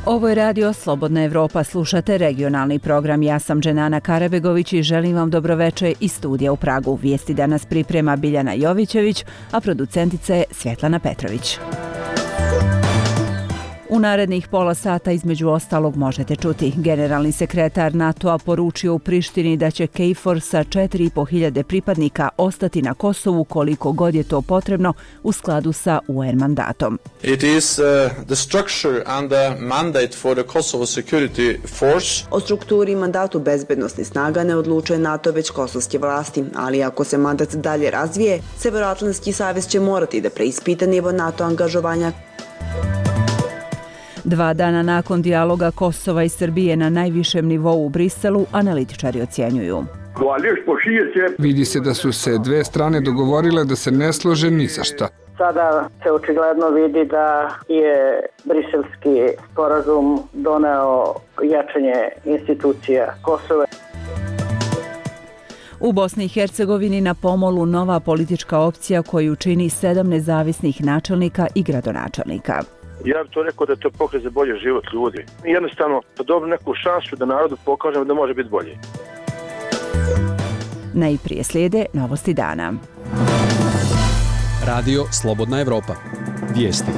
Ovo je radio Slobodna Evropa, slušate regionalni program. Ja sam Dženana Karabegović i želim vam dobroveče iz studija u Pragu. Vijesti danas priprema Biljana Jovićević, a producentica je Svjetlana Petrović. U narednih pola sata između ostalog možete čuti. Generalni sekretar NATO-a poručio u Prištini da će KFOR sa 4.500 pripadnika ostati na Kosovu koliko god je to potrebno u skladu sa UN mandatom. It is the structure and the mandate for the Kosovo Security Force. O strukturi i mandatu bezbednosnih snaga ne odlučuje NATO već kosovske vlasti, ali ako se mandat dalje razvije, Severoatlantski savez će morati da preispita nivo NATO angažovanja. 2 dana nakon dijaloga Kosova i Srbije na najvišem nivou u Briselu, analitičari ocjenjuju. Vidi se da su se dve strane dogovorile da se ne slože ni za šta. Sada se očigledno vidi da je briselski sporazum doneo jačanje institucija Kosova. U Bosni i Hercegovini na pomolu nova politička opcija koju čini 7 nezavisnih načelnika i gradonačelnika. Ja bih to rekao da je to pokret za bolji život ljudi. Jednostavno, da dobru neku šansu da narodu pokažemo da može biti bolji. Najprije slijede novosti dana. Radio Slobodna Evropa. Vijesti.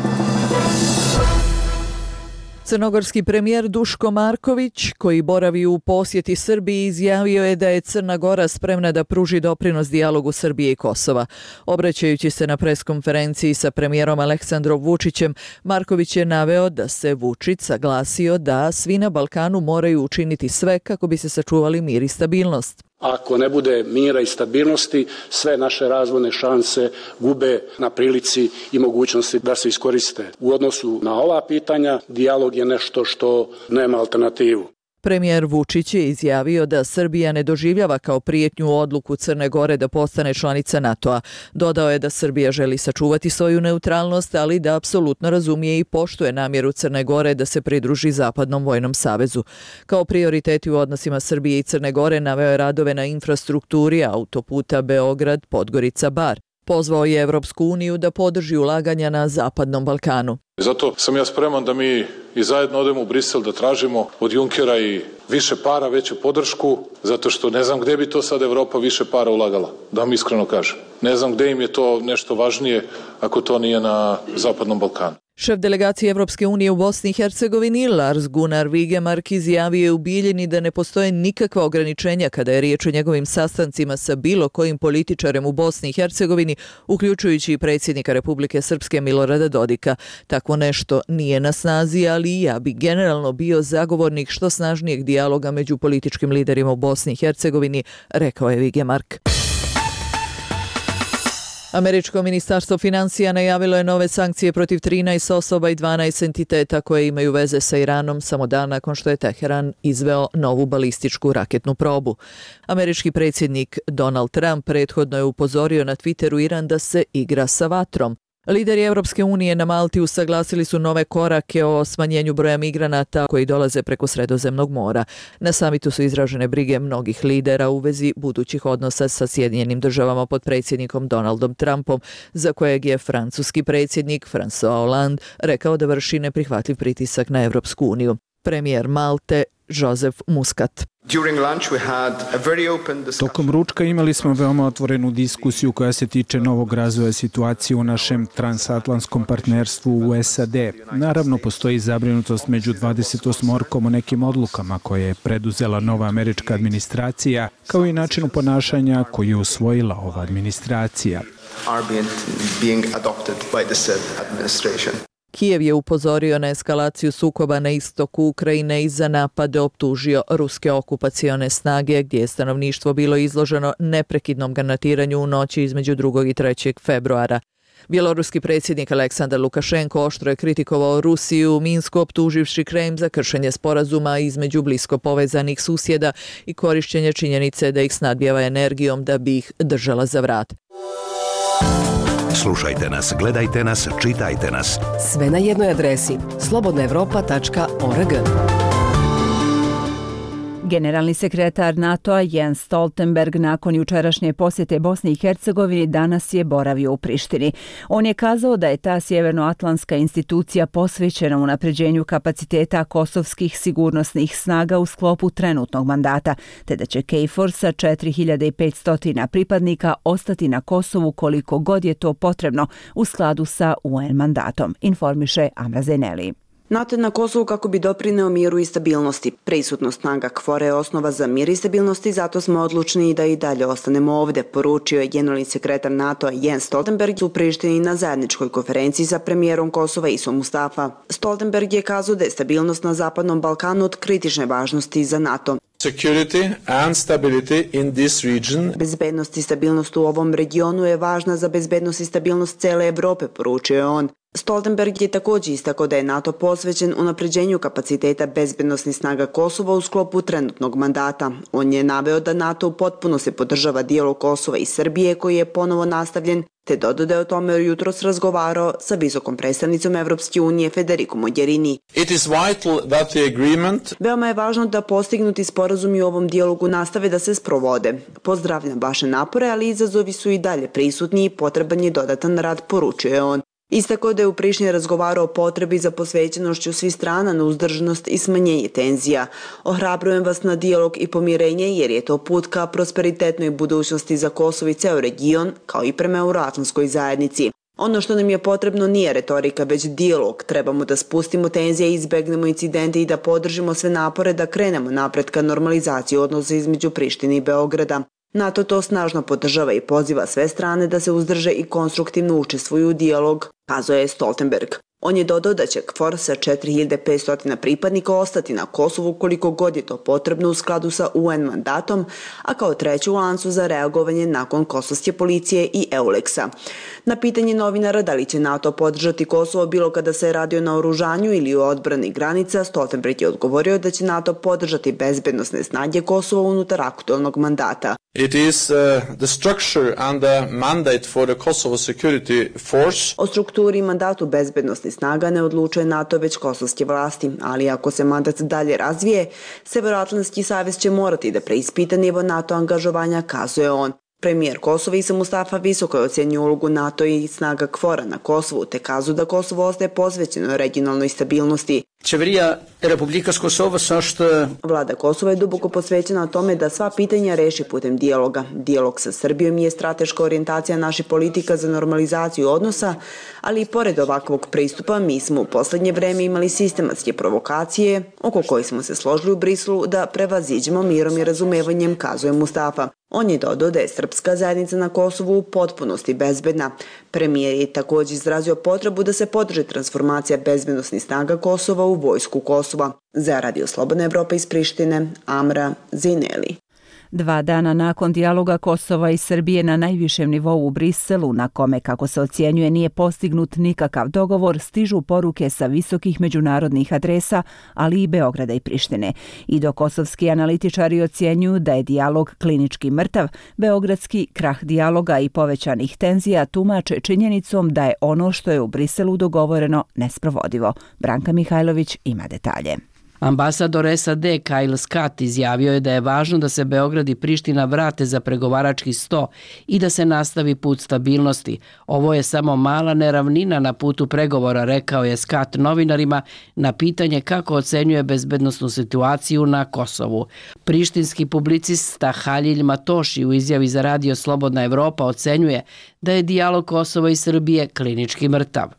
Crnogorski premijer Duško Marković, koji boravi u posjeti Srbiji, izjavio je da je Crna Gora spremna da pruži doprinos dijalogu Srbije i Kosova. Obraćajući se na preskonferenciji sa premijerom Aleksandrom Vučićem, Marković je naveo da se Vučić saglasio da svi na Balkanu moraju učiniti sve kako bi se sačuvali mir i stabilnost. Ako ne bude mira i stabilnosti, sve naše razvojne šanse gube na prilici i mogućnosti da se iskoriste. U odnosu na ova pitanja, dijalog je nešto što nema alternativu. Premijer Vučić je izjavio da Srbija ne doživljava kao prijetnju odluku Crne Gore da postane članica NATO-a. Dodao je da Srbija želi sačuvati svoju neutralnost, ali da apsolutno razumije i poštuje namjeru Crne Gore da se pridruži Zapadnom vojnom savezu. Kao prioriteti u odnosima Srbije i Crne Gore naveo je radove na infrastrukturi autoputa Beograd-Podgorica-Bar. Pozvao je Evropsku uniju da podrži ulaganja na Zapadnom Balkanu. Zato sam ja spreman da mi i zajedno odemo u Brisel da tražimo od Junkera i više para, veću podršku, zato što ne znam gdje bi to sad Evropa više para ulagala, da vam iskreno kažem. Ne znam gdje im je to nešto važnije ako to nije na Zapadnom Balkanu. Šef delegacije Evropske unije u Bosni i Hercegovini Lars Gunnar Vigemark izjavio je u Bijeljini da ne postoje nikakva ograničenja kada je riječ o njegovim sastancima sa bilo kojim političarem u Bosni i Hercegovini, uključujući i predsjednika Republike Srpske Milorada Dodika. Takvo nešto nije na snazi, ali ja bi generalno bio zagovornik što snažnijeg dijaloga među političkim liderima u Bosni i Hercegovini, rekao je Vigemark. Američko ministarstvo financija najavilo je nove sankcije protiv 13 osoba i 12 entiteta koje imaju veze sa Iranom samo dan nakon što je Teheran izveo novu balističku raketnu probu. Američki predsjednik Donald Trump prethodno je upozorio na Twitteru Iran da se igra sa vatrom. Lideri Evropske unije na Malti usaglasili su nove korake o smanjenju broja migranata koji dolaze preko Sredozemnog mora. Na samitu su izražene brige mnogih lidera u vezi budućih odnosa sa Sjedinjenim državama pod predsjednikom Donaldom Trumpom, za kojeg je francuski predsjednik François Hollande rekao da vrši neprihvatljiv pritisak na Evropsku uniju. Premijer Malte Joseph Muscat. Tokom ručka imali smo veoma otvorenu diskusiju koja se tiče novog razvoja situacije u našem transatlantskom partnerstvu u SAD. Naravno, postoji zabrinutost među 28 o nekim odlukama koje je preduzela nova američka administracija, kao i načinu ponašanja koju je usvojila ova administracija. Kijev je upozorio na eskalaciju sukoba na istoku Ukrajine i za napade optužio ruske okupacione snage, gdje je stanovništvo bilo izloženo neprekidnom granatiranju u noći između 2. i 3. februara. Bjeloruski predsjednik Aleksandar Lukašenko oštro je kritikovao Rusiju u Minsku, optuživši Kreml za kršenje sporazuma između blisko povezanih susjeda i korišćenje činjenice da ih snadbijeva energijom da bi ih držala za vrat. Slušajte nas, gledajte nas, čitajte nas. Sve na jednoj adresi slobodnaevropa.org. Generalni sekretar NATO-a Jens Stoltenberg nakon jučerašnje posjete Bosni i Hercegovini danas je boravio u Prištini. On je kazao da je ta sjevernoatlantska institucija posvećena unapređenju kapaciteta kosovskih sigurnosnih snaga u sklopu trenutnog mandata, te da će KFOR sa 4500 pripadnika ostati na Kosovu koliko god je to potrebno u skladu sa UN mandatom, informiše Amra Zeneli. NATO je na Kosovu kako bi doprineo miru i stabilnosti. Prisutnost snaga KFOR-a je osnova za mir i stabilnost i zato smo odlučni da i dalje ostanemo ovde, poručio je generalni sekretar NATO-a Jens Stoltenberg u Prištini na zajedničkoj konferenciji sa premijerom Kosova Isom Mustafa. Stoltenberg je kazao da je stabilnost na Zapadnom Balkanu od kritične važnosti za NATO. Security and stability in this region. Bezbednost i stabilnost u ovom regionu je važna za bezbednost i stabilnost cele Evrope, poručio je on. Stoltenberg je također istakao da je NATO posvećen unapređenju kapaciteta bezbednosnih snaga Kosova u sklopu trenutnog mandata. On je naveo da NATO u potpunosti podržava dijalog Kosova i Srbije koji je ponovo nastavljen, te dodao da je o tome jutros razgovarao sa visokom predstavnicom Evropske unije Federico Mogherini. It is vital that the agreement. Veoma je važno da postignuti sporazumi u ovom dijalogu nastave da se sprovode. Pozdravljam vaše napore, ali izazovi su i dalje prisutni i potreban je dodatan rad, poručio je on. Istakao da je u Prištini razgovarao o potrebi za posvećenošću svih strana na uzdržanost i smanjenje tenzija. Ohrabrujem vas na dijalog i pomirenje jer je to put ka prosperitetnoj budućnosti za Kosovo i ceo region, kao i prema euroatlantskoj zajednici. Ono što nam je potrebno nije retorika, već dijalog. Trebamo da spustimo tenzije, izbegnemo incidente i da podržimo sve napore da krenemo napred ka normalizaciji odnosa između Prištine i Beograda. NATO to snažno podržava i poziva sve strane da se uzdrže i konstruktivno učestvuju u dijalog, kazao je Stoltenberg. On je dodao da će KFOR sa 4500 pripadnika ostati na Kosovu koliko god je to potrebno u skladu sa UN mandatom, a kao treći u lancu za reagovanje nakon kosovske policije i EULEX-a. Na pitanje novinara da li će NATO podržati Kosovo bilo kada se radi o naoružanju ili o odbrani granica, Stoltenberg je odgovorio da će NATO podržati bezbednosne snage Kosova unutar aktualnog mandata. It is the structure and the mandate for the Kosovo Security Force. O strukturi i mandatu bezbednosnih snaga ne odlučuje NATO već kosovske vlasti, ali ako se mandat dalje razvije, Severnoatlantski savez će morati da preispita nivo NATO angažovanja, kazuje on. Premijer Kosova Isom Mustafa visoko je ocenio ulogu NATO i snaga KFOR-a na Kosovu, te kazao da Kosovo ostaje posvećeno regionalnoj stabilnosti. Vlada Kosova je duboko posvećena tome da sva pitanja reši putem dijaloga. Dijalog sa Srbijom je strateška orijentacija naših politika za normalizaciju odnosa, ali i pored ovakvog pristupa mi smo u poslednje vreme imali sistematske provokacije oko kojih smo se složili u Briselu da prevaziđemo mirom i razumevanjem, kazuje Mustafa. On je dodao da je srpska zajednica na Kosovu u potpunosti bezbedna. Premijer je također izrazio potrebu da se podrži transformacija bezbednosnih snaga Kosova u vojsku Kosova. Za Radio Slobodna Evropa iz Prištine, Amra Zineli. 2 dana nakon dijaloga Kosova i Srbije na najvišem nivou u Briselu, na kome, kako se ocjenjuje, nije postignut nikakav dogovor, stižu poruke sa visokih međunarodnih adresa, ali i Beograda i Prištine. I dok kosovski analitičari ocjenjuju da je dijalog klinički mrtav, beogradski krah dijaloga i povećanih tenzija tumače činjenicom da je ono što je u Briselu dogovoreno nesprovodivo. Branka Mihajlović ima detalje. Ambasador SAD Kyle Scott izjavio je da je važno da se Beograd i Priština vrate za pregovarački sto i da se nastavi put stabilnosti. Ovo je samo mala neravnina na putu pregovora, rekao je Scott novinarima na pitanje kako ocenjuje bezbednosnu situaciju na Kosovu. Prištinski publicista Halil Matoši u izjavi za Radio Slobodna Evropa ocenjuje da je dijalog Kosova i Srbije klinički mrtav.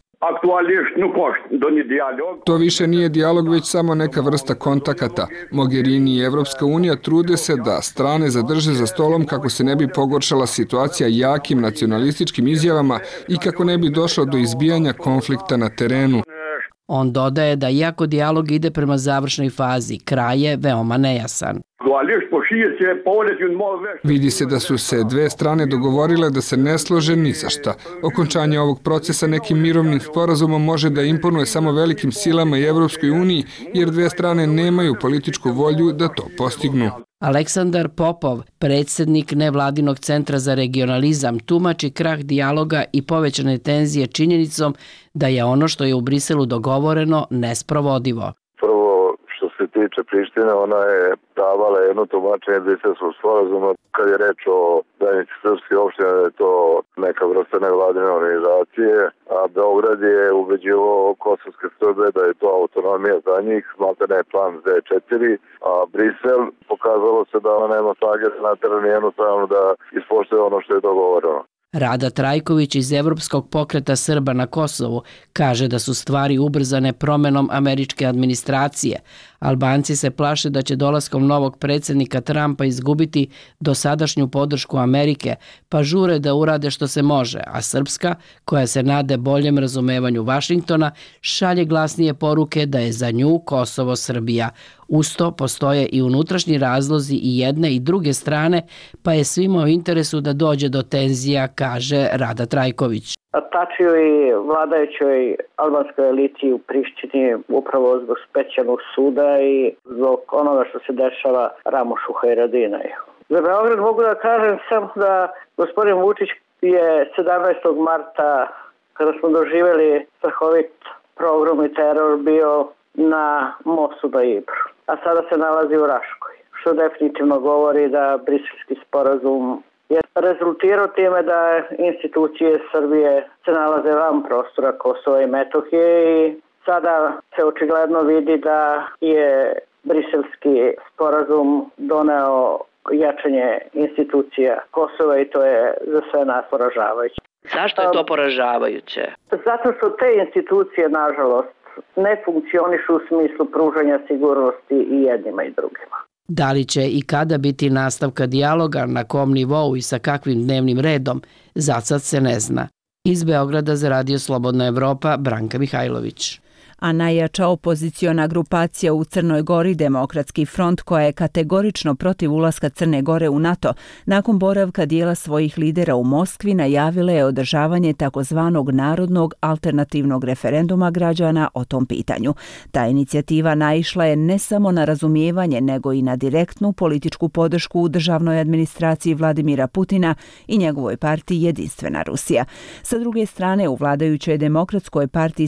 To više nije dijalog, već samo neka vrsta kontakata. Mogherini i Evropska unija trude se da strane zadrže za stolom kako se ne bi pogoršala situacija jakim nacionalističkim izjavama i kako ne bi došlo do izbijanja konflikta na terenu. On dodaje da iako dijalog ide prema završnoj fazi, kraj je veoma nejasan. Vidi se da su se 2 strane dogovorile da se ne slože ni za šta. Okončanje ovog procesa nekim mirovnim sporazumom može da imponuje samo velikim silama i Evropskoj uniji, jer 2 strane nemaju političku volju da to postignu. Aleksandar Popov, predsjednik nevladinog centra za regionalizam, tumači krah dijaloga i povećane tenzije činjenicom da je ono što je u Briselu dogovoreno nesprovodivo. Prvo, što se tiče tiče Prištine, ona je davala jedno tumačenje Briselskog sporazuma kad je reč o zajednici srpskih opština, da je to neka vrsta nevladine organizacije, a Beograd je ubeđivao kosovske Srbe da je to autonomija za njih, znate ne plan Z4, a Brisel pokazalo se da ona nema snage da naterani jednostavno da ispoštuje ono što je dogovoreno. Rada Trajković iz Evropskog pokreta Srba na Kosovu kaže da su stvari ubrzane promenom američke administracije. Albanci se plaše da će dolaskom novog predsjednika Trumpa izgubiti dosadašnju podršku Amerike, pa žure da urade što se može, a Srpska, koja se nade boljem razumevanju Vašingtona, šalje glasnije poruke da je za nju Kosovo Srbija. Uz to postoje i unutrašnji razlozi i jedne i druge strane, pa je svima u interesu da dođe do tenzija, kaže Rada Trajković. Tačio i vladajućoj albanskoj eliti u Prištini upravo zbog specijalnog suda i zbog onoga što se dešava Ramušu Hajradinaju. Za Beograd mogu da kažem samo da gospodin Vučić je 17. marta, kada smo doživjeli strahovit pogrom i teror, bio na mostu na Ibru, a sada se nalazi u Raškoj, što definitivno govori da Briselski sporazum je rezultirao time da institucije Srbije se nalaze van prostora Kosova i Metohije i sada se očigledno vidi da je Briselski sporazum doneo jačanje institucija Kosova i to je za sve nas poražavajuće. Zašto je to poražavajuće? Zato što te institucije, nažalost, ne funkcionišu u smislu pružanja sigurnosti i jednima i drugima. Da li će i kada biti nastavka dijaloga, na kom nivou i sa kakvim dnevnim redom, za sad se ne zna. Iz Beograda za Radio Slobodna Evropa, Branka Mihajlović. A najjača opoziciona grupacija u Crnoj Gori, Demokratski front, koja je kategorično protiv ulaska Crne Gore u NATO, nakon boravka dijela svojih lidera u Moskvi, najavila je održavanje takozvanog narodnog alternativnog referenduma građana o tom pitanju. Ta inicijativa naišla je ne samo na razumijevanje, nego i na direktnu političku podršku u državnoj administraciji Vladimira Putina i njegovoj partiji Jedinstvena Rusija. Sa druge strane, u vladajućoj Demokratskoj partiji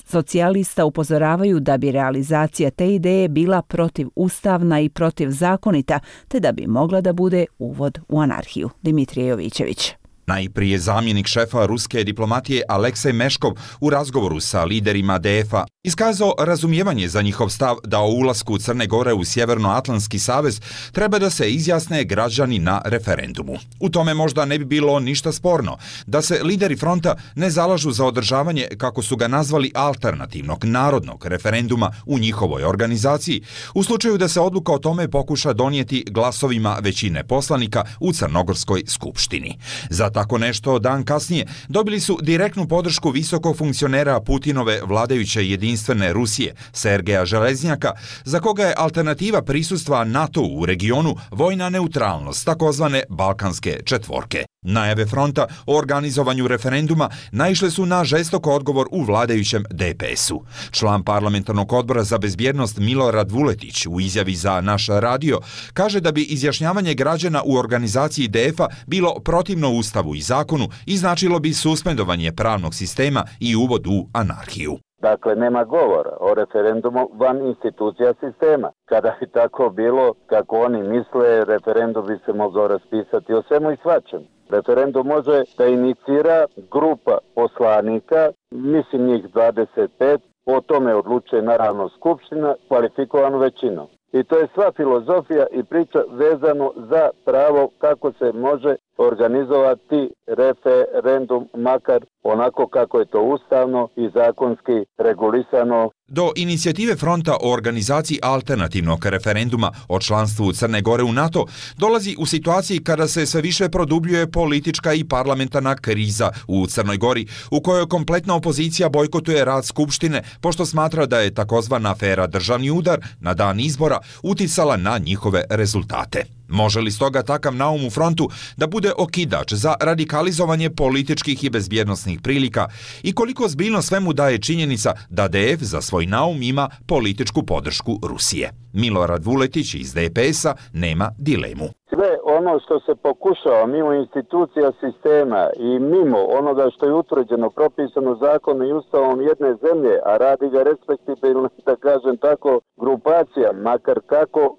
socijalista upozoravaju da bi realizacija te ideje bila protivustavna i protivzakonita, te da bi mogla da bude uvod u anarhiju. Dimitrije Jovićević. Najprije zamjenik šefa ruske diplomatije Aleksej Meškov u razgovoru sa liderima DF-a iskazao razumijevanje za njihov stav da o ulasku Crne Gore u Sjevernoatlantski savez treba da se izjasne građani na referendumu. U tome možda ne bi bilo ništa sporno da se lideri fronta ne zalažu za održavanje, kako su ga nazvali, alternativnog narodnog referenduma u njihovoj organizaciji, u slučaju da se odluka o tome pokuša donijeti glasovima većine poslanika u Crnogorskoj skupštini. Za tako nešto dan kasnije dobili su direktnu podršku visokog funkcionera Putinove vladajuće Jedinstvene Rusije, Sergeja Železnjaka, za koga je alternativa prisustva NATO u regionu vojna neutralnost, takozvane Balkanske četvorke. Najave fronta o organizovanju referenduma naišle su na žestok odgovor u vladajućem DPS-u. Član parlamentarnog odbora za bezbjednost Milorad Vuletić u izjavi za Naš radio kaže da bi izjašnjavanje građana u organizaciji DF-a bilo protivno Ustavu i zakonu i značilo bi suspendovanje pravnog sistema i uvod u anarhiju. Dakle, nema govora o referendumu van institucija sistema. Kada bi tako bilo, kako oni misle, referendum bi se mogao raspisati o svemu i svačemu. Referendum može da inicira grupa poslanika, mislim njih 25, o tome odlučuje naravno skupština kvalifikovanom većinom. I to je sva filozofija i priča vezano za pravo kako se može organizovati referendum, makar onako kako je to ustavno i zakonski regulisano. Do inicijative fronta o organizaciji alternativnog referenduma o članstvu Crne Gore u NATO dolazi u situaciji kada se sve više produbljuje politička i parlamentarna kriza u Crnoj Gori, u kojoj kompletna opozicija bojkotuje rad Skupštine, pošto smatra da je takozvana afera Državni udar na dan izbora uticala na njihove rezultate. Može li stoga takav naum u frontu da bude okidač za radikalizovanje političkih i bezbjednosnih prilika i koliko zbiljno svemu daje činjenica da DF za svoj naum ima političku podršku Rusije? Milorad Vuletić iz DPS-a nema dilemu. Sve ono što se pokušava mimo institucija sistema i mimo onoga što je utvrđeno, propisano zakonom i ustavom jedne zemlje, a radi ga respektibilno, da kažem tako, grupacija, makar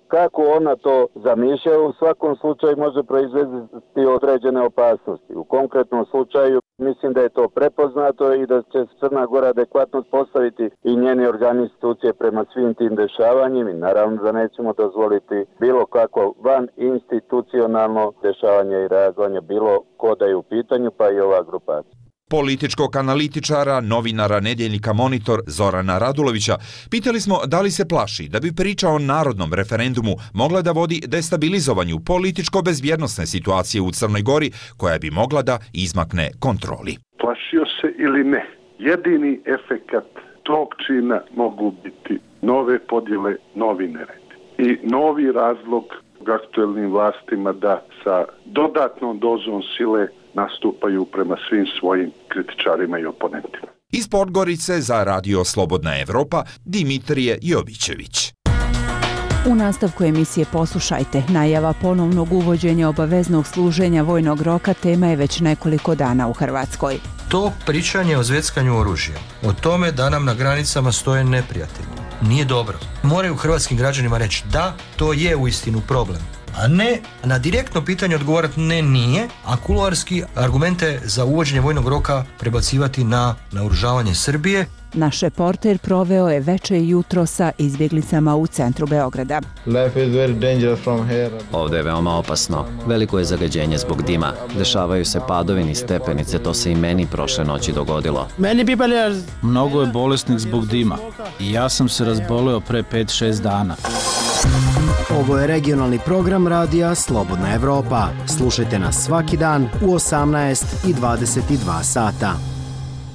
kako ona to zamišlja, u svakom slučaju može proizvesti određene opasnosti. U konkretnom slučaju mislim da je to prepoznato i da će Crna Gora adekvatno postaviti i njeni organi institucije prema svim tim dešavanjima i naravno da nećemo dozvoliti bilo kako van institucionalno dešavanje i reagovanje bilo ko da je u pitanju, pa i ova grupacija. Političkog analitičara, novinara nedjeljnika Monitor Zorana Radulovića pitali smo da li se plaši da bi priča o narodnom referendumu mogla da vodi destabilizovanju političko-bezbjednosne situacije u Crnoj Gori koja bi mogla da izmakne kontroli. Plašio se ili ne, jedini efekat tog čina mogu biti nove podjele, novi nered i novi razlog aktuelnim vlastima da sa dodatnom dozom sile nastupaju prema svim svojim kritičarima i oponentima. Iz Podgorice za Radio Slobodna Evropa, Dimitrije Jovićević. U nastavku emisije poslušajte. Najava ponovnog uvođenja obaveznog služenja vojnog roka tema je već nekoliko dana u Hrvatskoj. To pričanje o zveckanju oružja, o tome da nam na granicama stoje neprijatelji, nije dobro. Moraju hrvatskim građanima reći da, to je uistinu problem. A ne na direktno pitanje odgovarati ne, nije, a kuloarski argumente za uvođenje vojnog roka prebacivati na naoružavanje Srbije. Naš reporter proveo je veče i jutro sa izbjeglicama u centru Beograda. Ovdje je veoma opasno. Veliko je zagađenje zbog dima. Dešavaju se padovi niz stepenice, to se i meni prošle noći dogodilo. Mnogo je bolesnih zbog dima. I ja sam se razboleo pre 5-6 dana. Ovo je regionalni program radija Slobodna Evropa. Slušajte nas svaki dan u 18 i 22 sata.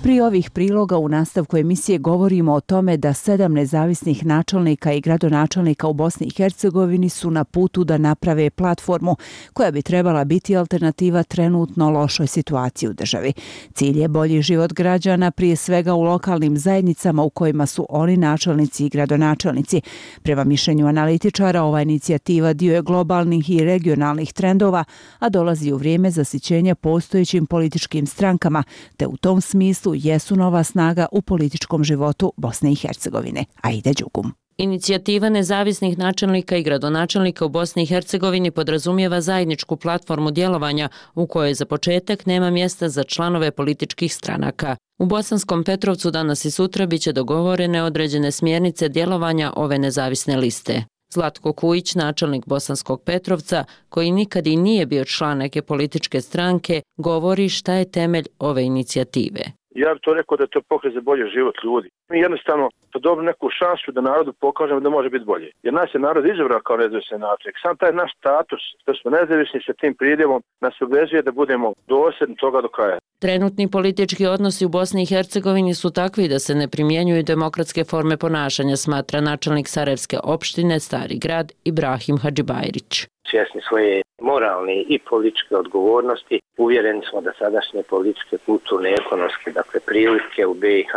Pri ovih priloga u nastavku emisije govorimo o tome da 7 nezavisnih načelnika i gradonačelnika u Bosni i Hercegovini su na putu da naprave platformu koja bi trebala biti alternativa trenutno lošoj situaciji u državi. Cilj je bolji život građana, prije svega u lokalnim zajednicama u kojima su oni načelnici i gradonačelnici. Prema mišljenju analitičara, ova inicijativa dio je globalnih i regionalnih trendova, a dolazi u vrijeme zasićenja postojećim političkim strankama, te u tom smislu jesu nova snaga u političkom životu Bosne i Hercegovine. Aida Đugum. Inicijativa nezavisnih načelnika i gradonačelnika u Bosni i Hercegovini podrazumijeva zajedničku platformu djelovanja u kojoj za početak nema mjesta za članove političkih stranaka. U Bosanskom Petrovcu danas i sutra biće dogovorene određene smjernice djelovanja ove nezavisne liste. Zlatko Kujić, načelnik Bosanskog Petrovca, koji nikad i nije bio član neke političke stranke, govori šta je temelj ove inicijative. Ja bih to rekao da je to pokret za bolji život ljudi. Mi jednostavno to dobru neku šansu da narodu pokažemo da može biti bolje. Jer nas je narod izabrao kao nezavisni načelnik. Sam taj naš status, što smo nezavisni sa tim pridjevom, nas obvezuje da budemo dosljedni toga do kraja. Trenutni politički odnosi u Bosni i Hercegovini su takvi da se ne primjenjuju demokratske forme ponašanja, smatra načelnik Sarajevske opštine Stari Grad Ibrahim Hadžibajrić. Svjesni svoje moralne i političke odgovornosti, uvjereni smo da sadašnje političke, kulturne, ekonomske, prilike u BiH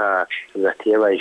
zahtijevaju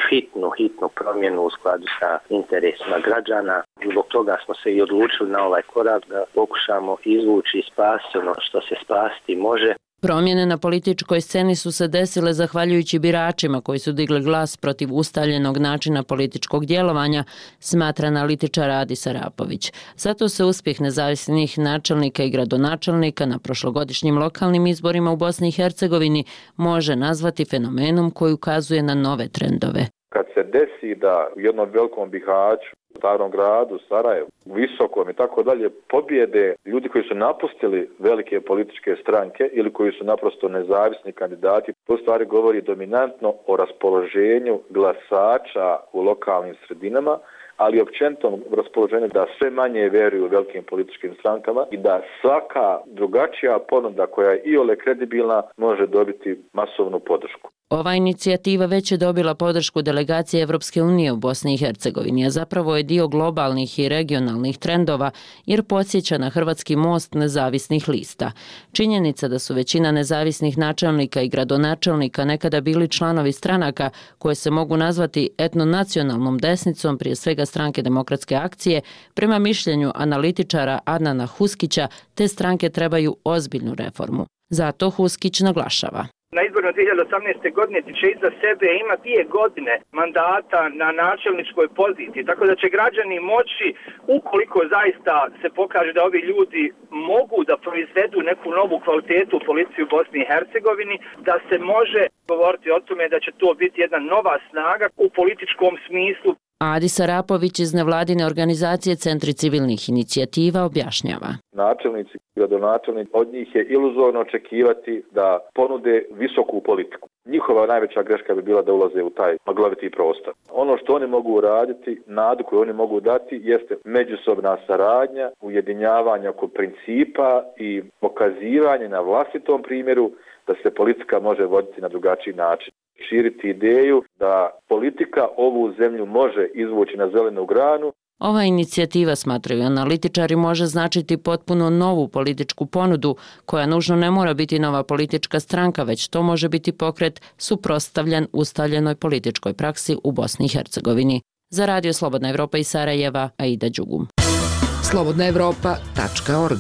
hitnu promjenu u skladu sa interesima građana. Zbog toga smo se i odlučili na ovaj korak da pokušamo izvući i spasiti ono što se spasiti može. Promjene na političkoj sceni su se desile zahvaljujući biračima koji su digli glas protiv ustaljenog načina političkog djelovanja, smatra analitičar Adis Arapović. Zato se uspjeh nezavisnih načelnika i gradonačelnika na prošlogodišnjim lokalnim izborima u Bosni i Hercegovini može nazvati fenomenom koji ukazuje na nove trendove. Kad se desi da u jednom velikom Bihaću, Starom Gradu, Sarajevu, Visokom i tako dalje pobjede ljudi koji su napustili velike političke stranke ili koji su naprosto nezavisni kandidati, to stvari govori dominantno o raspoloženju glasača u lokalnim sredinama, ali općenito raspoloženje da sve manje vjeruju u velikim političkim strankama i da svaka drugačija ponuda koja je iole kredibilna može dobiti masovnu podršku. Ova inicijativa već je dobila podršku delegacije Evropske unije u Bosni i Hercegovini, a zapravo je dio globalnih i regionalnih trendova jer podsjeća na hrvatski most nezavisnih lista. Činjenica da su većina nezavisnih načelnika i gradonačelnika nekada bili članovi stranaka koje se mogu nazvati etnonacionalnom desnicom, prije svega Stranke demokratske akcije, prema mišljenju analitičara Adnana Huskića, te stranke trebaju ozbiljnu reformu. Zato Huskić naglašava. Na izborima 2018. godine će iza sebe ima 2 godine mandata na načelničkoj poziciji, tako da će građani moći, ukoliko zaista se pokaže da ovi ljudi mogu da proizvedu neku novu kvalitetu u policiji u Bosni i Hercegovini, da se može govoriti o tome da će to biti jedna nova snaga u političkom smislu. Adis Arapović iz nevladine organizacije Centri civilnih inicijativa objašnjava. Načelnici, gradonačelnici, od njih je iluzorno očekivati da ponude visoku politiku. Njihova najveća greška bi bila da ulaze u taj magloviti prostor. Ono što oni mogu uraditi, nadu koju oni mogu dati, jeste međusobna saradnja, ujedinjavanje oko principa i pokazivanje na vlastitom primjeru da se politika može voditi na drugačiji način. Širiti ideju da politika ovu zemlju može izvući na zelenu granu. Ova inicijativa, smatraju analitičari, može značiti potpuno novu političku ponudu, koja nužno ne mora biti nova politička stranka, već to može biti pokret suprotstavljen ustaljenoj političkoj praksi u Bosni i Hercegovini. Za Radio Slobodna Evropa iz Sarajeva, Aida Đugum. slobodnaevropa.org.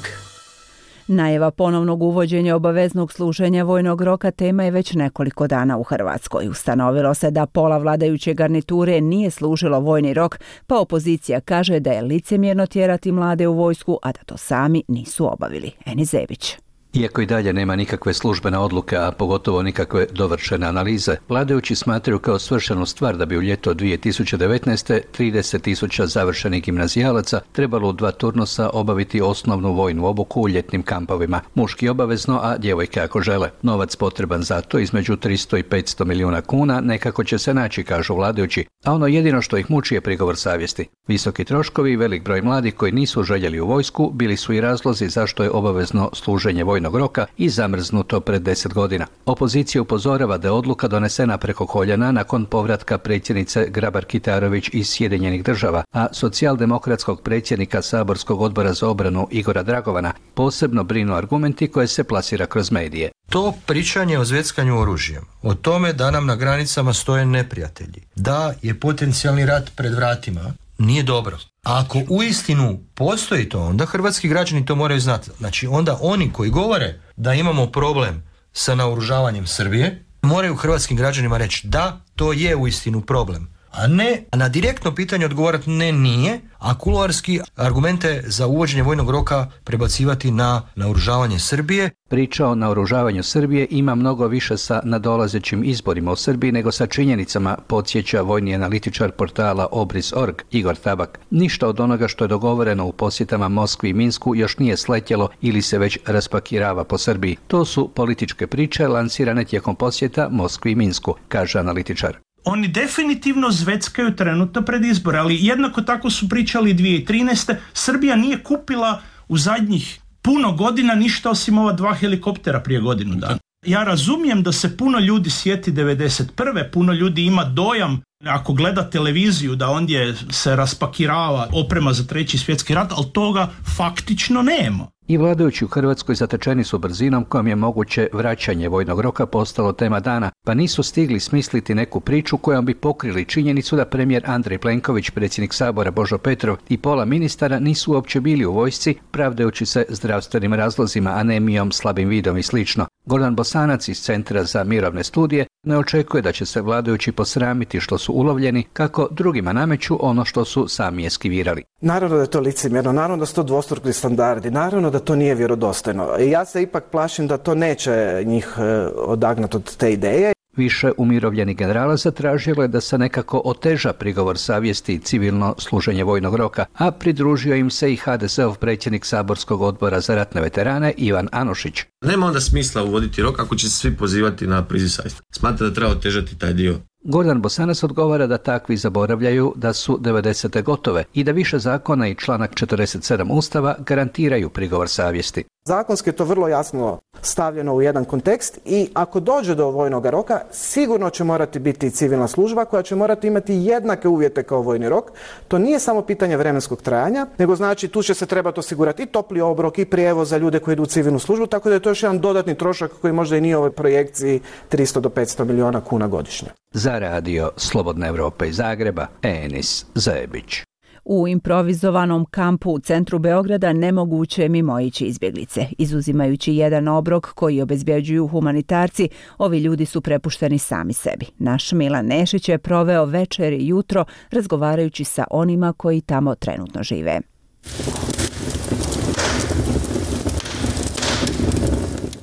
Najava ponovnog uvođenja obaveznog služenja vojnog roka tema je već nekoliko dana u Hrvatskoj. Ustanovilo se da pola vladajuće garniture nije služilo vojni rok, pa opozicija kaže da je licemjerno tjerati mlade u vojsku, a da to sami nisu obavili. Eni Zebić. Iako i dalje nema nikakve službene odluke, a pogotovo nikakve dovršene analize, vladajući smatraju kao svršenu stvar da bi u ljeto 2019. 30.000 završenih gimnazijalaca trebalo u 2 turnusa obaviti osnovnu vojnu obuku u ljetnim kampovima. Muški obavezno, a djevojke ako žele. Novac potreban za to, između 300 i 500 milijuna kuna, nekako će se naći, kažu vladajući, a ono jedino što ih muči je prigovor savjesti. Visoki troškovi i velik broj mladih koji nisu željeli u vojsku bili su i razlozi zašto je obavezno služenje vojnog roka i zamrznuto pred 10 godina. Opozicija upozorava da je odluka donesena preko koljena nakon povratka predsjednice Grabar-Kitarović iz Sjedinjenih Država, a socijaldemokratskog predsjednika Saborskog odbora za obranu Igora Dragovana posebno brinu argumenti koje se plasira kroz medije. To pričanje o zveckanju oružjem, o tome da nam na granicama stoje neprijatelji, da je potencijalni rat pred vratima, nije dobro. A ako uistinu postoji to, onda hrvatski građani to moraju znati. Znači onda oni koji govore da imamo problem sa naoružavanjem Srbije, moraju hrvatskim građanima reći da, to je uistinu problem. A ne na direktno pitanje odgovarati ne, nije, a kuloarski argumente za uvođenje vojnog roka prebacivati na naoružavanje Srbije. Priča o naoružavanju Srbije ima mnogo više sa nadolazećim izborima u Srbiji nego sa činjenicama, podsjeća vojni analitičar portala Obris.org Igor Tabak. Ništa od onoga što je dogovoreno u posjetama Moskvi i Minsku još nije sletjelo ili se već raspakirava po Srbiji. To su političke priče lansirane tijekom posjeta Moskvi i Minsku, kaže analitičar. Oni definitivno zveckaju trenutno pred izbore, ali jednako tako su pričali 2013. Srbija nije kupila u zadnjih puno godina ništa osim ova 2 helikoptera prije godinu dana. Ja razumijem da se puno ljudi sjeti 91. Puno ljudi ima dojam, ako gleda televiziju, da ondje se raspakirava oprema za 3. svjetski rat, ali toga faktično nema. I vladajući u Hrvatskoj zatečeni su brzinom kojom je moguće vraćanje vojnog roka postalo tema dana, pa nisu stigli smisliti neku priču kojom bi pokrili činjenicu da premijer Andrej Plenković, predsjednik Sabora Božo Petrov i pola ministara nisu uopće bili u vojsci, pravdajući se zdravstvenim razlozima, anemijom, slabim vidom i slično. Gordan Bosanac iz Centra za mirovne studije ne očekuje da će se vladajući posramiti što su ulovljeni, kako drugima nameću ono što su sami eskivirali. Naravno da je to licemjerno, naravno da su to dvostruki standardi, naravno da to nije vjerodostojno. Ja se ipak plašim da to neće njih odagnati od te ideje. Više umirovljenih generala zatražilo je da se nekako oteža prigovor savjesti i civilno služenje vojnog roka, a pridružio im se i HDZ-ov predsjednik Saborskog odbora za ratne veterane Ivan Anušić. Nema onda smisla uvoditi rok ako će se svi pozivati na priziv savjesti. Smatra da treba otežati taj dio. Gordan Bosanac odgovara da takvi zaboravljaju da su 90. gotove i da više zakona i članak 47 Ustava garantiraju prigovor savjesti. Zakonski je to vrlo jasno stavljeno u jedan kontekst i ako dođe do vojnog roka, sigurno će morati biti civilna služba koja će morati imati jednake uvjete kao vojni rok. To nije samo pitanje vremenskog trajanja, nego znači tu će se trebati osigurati i topli obrok i prijevoz za ljude koji idu u civilnu službu, tako da je to još jedan dodatni trošak koji možda i nije u ovoj projekciji 300 do 500 milijuna kuna godišnje. Za radio Slobodna Evropa iz Zagreba, Enis Zajebić. U improvizovanom kampu u centru Beograda nemoguće je mimoići izbjeglice. Izuzimajući jedan obrok koji obezbjeđuju humanitarci, ovi ljudi su prepušteni sami sebi. Naš Milan Nešić je proveo večer i jutro razgovarajući sa onima koji tamo trenutno žive.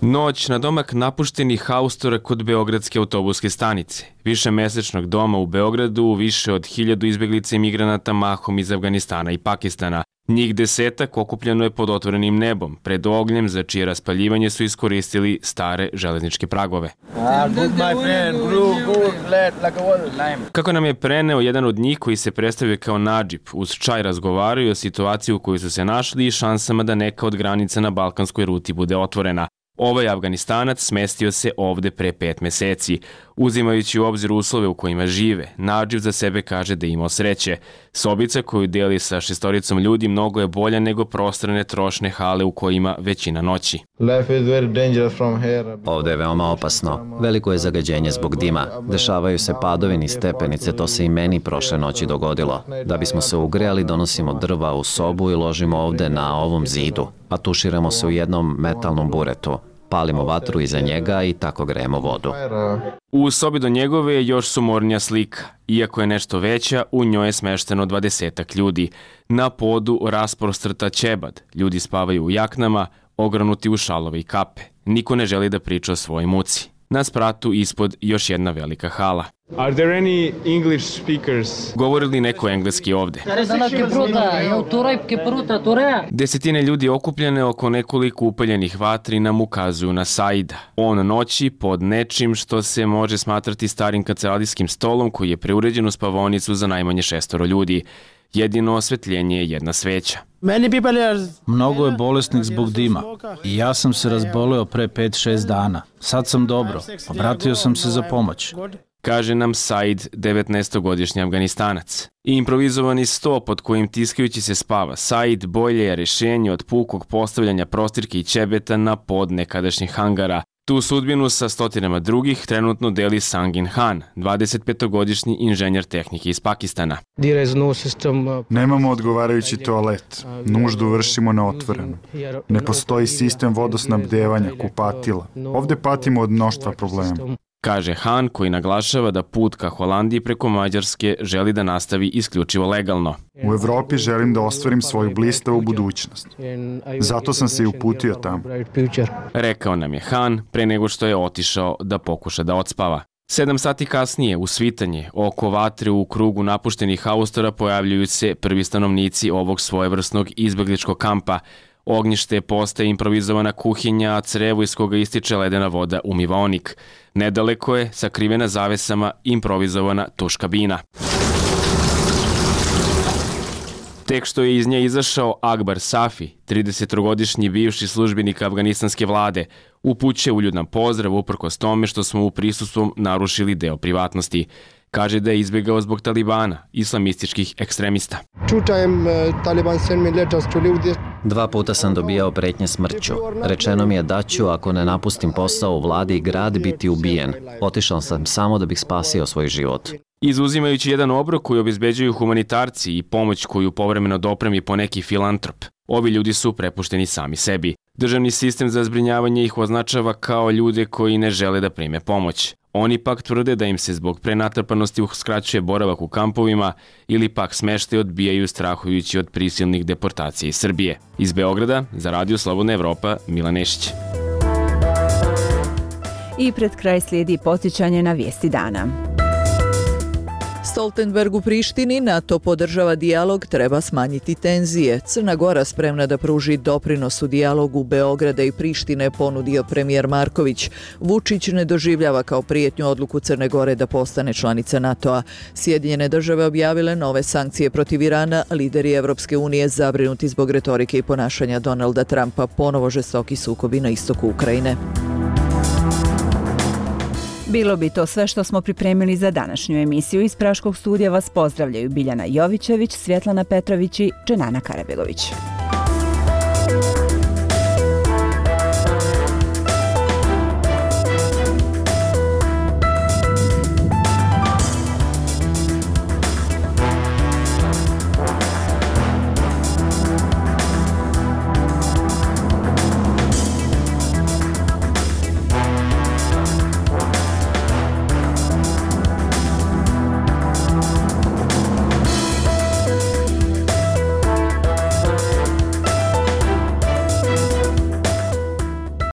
Noć na domak napuštenih haustora kod Beogradske autobuske stanice. Višemesečnog doma u Beogradu, više od 1000 izbjeglica i migranata mahom iz Afganistana i Pakistana. Njih 10 okupljeno je pod otvorenim nebom, pred ognjem za čije raspaljivanje su iskoristili stare železničke pragove. Kako nam je preneo jedan od njih koji se predstavio kao Nadžib, uz čaj razgovaraju o situaciji u kojoj su se našli i šansama da neka od granica na balkanskoj ruti bude otvorena. Ovaj Afganistanac smestio se ovde pre 5 meseci. Uzimajući u obzir uslove u kojima žive, Nadžib za sebe kaže da je imao sreće. Sobica koju deli sa 6 ljudi mnogo je bolja nego prostrane trošne hale u kojima većina noći. Ovde je veoma opasno. Veliko je zagađenje zbog dima. Dešavaju se padovi niz stepenice, to se i meni prošle noći dogodilo. Da bismo se ugrejali, donosimo drva u sobu i ložimo ovde na ovom zidu, a tuširamo se u jednom metalnom buretu. Palimo vatru iza njega i tako grejemo vodu. U sobi do njegove je još sumornija slika. Iako je nešto veća, u njoj je smešteno 20 ljudi. Na podu rasprostrta ćebad. Ljudi spavaju u jaknama, ogranuti u šalove i kape. Niko ne želi da priča o svojoj muci. Na spratu ispod još jedna velika hala. Are there any English speakers? Govori li neko engleski ovde? Desetine ljudi okupljene oko nekoliko upaljenih vatri nam ukazuju na Saida. On noći pod nečim što se može smatrati starim kanceladijskim stolom koji je preuređen u spavaonicu za najmanje 6 ljudi. Jedino osvetljenje je jedna sveća. Mnogo je bolesnih zbog dima i ja sam se razboleo pre 5-6 dana. Sad sam dobro, obratio sam se za pomoć. Kaže nam Said, 19-godišnji Afganistanac. Improvizovani sto pod kojim tiskajući se spava Said bolje je rešenje od pukog postavljanja prostirke i ćebeta na pod nekadašnjih hangara. Tu sudbinu sa stotinama drugih trenutno deli Sangin Han, 25-godišnji inženjer tehnike iz Pakistana. Nemamo odgovarajući toalet. Nuždu vršimo na otvorenu. Ne postoji sistem vodosnabdevanja, kupatila. Ovde patimo od mnoštva problema. Kaže Han, koji naglašava da put ka Holandiji preko Mađarske želi da nastavi isključivo legalno. U Evropi želim da ostvarim svoju blistavu budućnost. Zato sam se i uputio tamo. Rekao nam je Han pre nego što je otišao da pokuša da odspava. 7 sati kasnije, u svitanje, oko vatre u krugu napuštenih haustora pojavljuju se prvi stanovnici ovog svojevrsnog izbegličkog kampa. Ognjište postaje improvizovana kuhinja, a crevo iz koga ističe ledena voda umivaonik. Nedaleko je, sakrivena zavesama, improvizovana tuš kabina. Tek što je iz nje izašao Akbar Safi, 30-godišnji bivši službenik afganistanske vlade, upućuje uljudan pozdrav uprkos tome što smo u prisustvom narušili deo privatnosti. Kaže da je izbjegao zbog Talibana, islamističkih ekstremista. 2 puta sam dobijao pretnje smrću. Rečeno mi je da ću, ako ne napustim posao u vladi i grad, biti ubijen. Otišao sam samo da bih spasio svoj život. Izuzimajući jedan obrok koji obezbeđuju humanitarci i pomoć koju povremeno dopremi po neki filantrop, ovi ljudi su prepušteni sami sebi. Državni sistem za zbrinjavanje ih označava kao ljude koji ne žele da prime pomoć. Oni pak tvrde da im se zbog prenatrpanosti uskraćuje boravak u kampovima ili pak smeštaj odbijaju strahujući od prisilnih deportacija iz Srbije. Iz Beograda, za Radio Slobodna Evropa, Milan Nešić. I pred kraj slijedi podsjećanje na vijesti dana. Stoltenberg u Prištini, NATO podržava dijalog, treba smanjiti tenzije. Crna Gora spremna da pruži doprinos u dijalogu Beograda i Prištine, ponudio premijer Marković. Vučić ne doživljava kao prijetnju odluku Crne Gore da postane članica NATO-a. Sjedinjene države objavile nove sankcije protiv Irana, lideri Evropske unije zabrinuti zbog retorike i ponašanja Donalda Trumpa, ponovo žestoki sukobi na istoku Ukrajine. Bilo bi to sve što smo pripremili za današnju emisiju. Iz Praškog studija vas pozdravljaju Biljana Jovićević, Svjetlana Petrović i Dženana Karabegović.